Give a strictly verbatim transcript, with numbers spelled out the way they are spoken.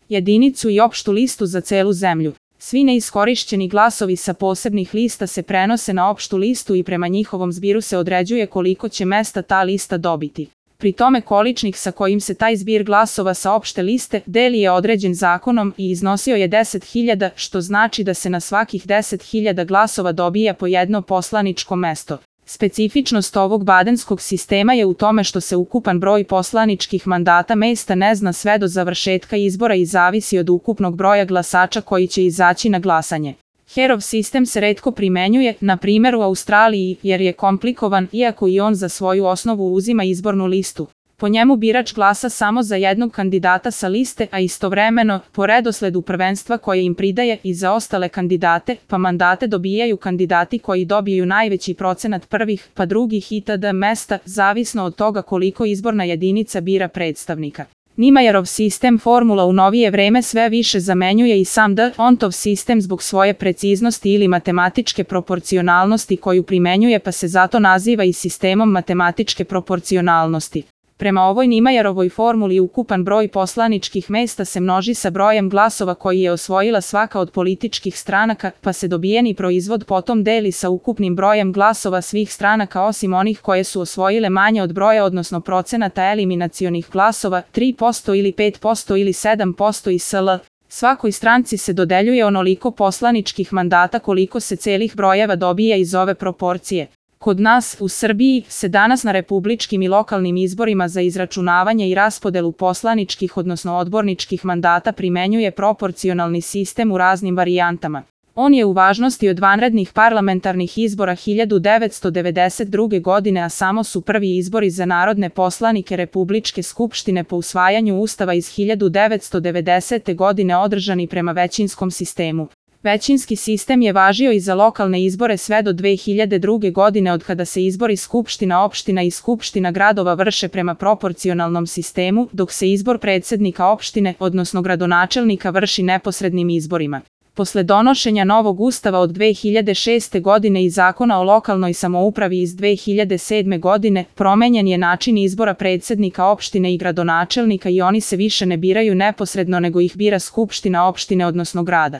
jedinicu i opštu listu za celu zemlju. Svi neiskorišćeni glasovi sa posebnih lista se prenose na opštu listu i prema njihovom zbiru se određuje koliko će mesta ta lista dobiti. Pri tome količnik sa kojim se taj zbir glasova sa opšte liste deli je određen zakonom i iznosio je deset hiljada, što znači da se na svakih deset hiljada glasova dobija po jedno poslaničko mesto. Specifičnost ovog badenskog sistema je u tome što se ukupan broj poslaničkih mandata mesta ne zna sve do završetka izbora i zavisi od ukupnog broja glasača koji će izaći na glasanje. Herov sistem se retko primenjuje, na primjer u Australiji, jer je komplikovan, iako i on za svoju osnovu uzima izbornu listu. Po njemu birač glasa samo za jednog kandidata sa liste, a istovremeno, po redosledu prvenstva koje im pridaje i za ostale kandidate, pa mandate dobijaju kandidati koji dobiju najveći procenat prvih, pa drugih itd. Mesta, zavisno od toga koliko izborna jedinica bira predstavnika. Nimajerov sistem formula u novije vreme sve više zamenjuje i sam D'Hondtov sistem zbog svoje preciznosti ili matematičke proporcionalnosti koju primenjuje, pa se zato naziva i sistemom matematičke proporcionalnosti. Prema ovoj Nimajerovoj formuli ukupan broj poslaničkih mesta se množi sa brojem glasova koji je osvojila svaka od političkih stranaka, pa se dobijeni proizvod potom deli sa ukupnim brojem glasova svih stranaka osim onih koje su osvojile manje od broja odnosno procenata eliminacionih glasova, tri posto ili pet posto ili sedam posto i sl. Svakoj stranci se dodeljuje onoliko poslaničkih mandata koliko se celih brojeva dobija iz ove proporcije. Kod nas, u Srbiji, se danas na republičkim i lokalnim izborima za izračunavanje i raspodelu poslaničkih odnosno odborničkih mandata primenjuje proporcionalni sistem u raznim varijantama. On je u važnosti od vanrednih parlamentarnih izbora hiljadu devetsto devedeset druge. godine, a samo su prvi izbori za narodne poslanike Republičke skupštine po usvajanju Ustava iz hiljadu devetsto devedesete. godine održani prema većinskom sistemu. Većinski sistem je važio i za lokalne izbore sve do dve hiljade druge. godine od kada se izbori skupština opština i skupština gradova vrše prema proporcionalnom sistemu, dok se izbor predsednika opštine, odnosno gradonačelnika vrši neposrednim izborima. Posle donošenja novog ustava od dve hiljade šeste. godine i zakona o lokalnoj samoupravi iz dve hiljade sedme. godine, promenjen je način izbora predsednika opštine i gradonačelnika i oni se više ne biraju neposredno nego ih bira skupština opštine odnosno grada.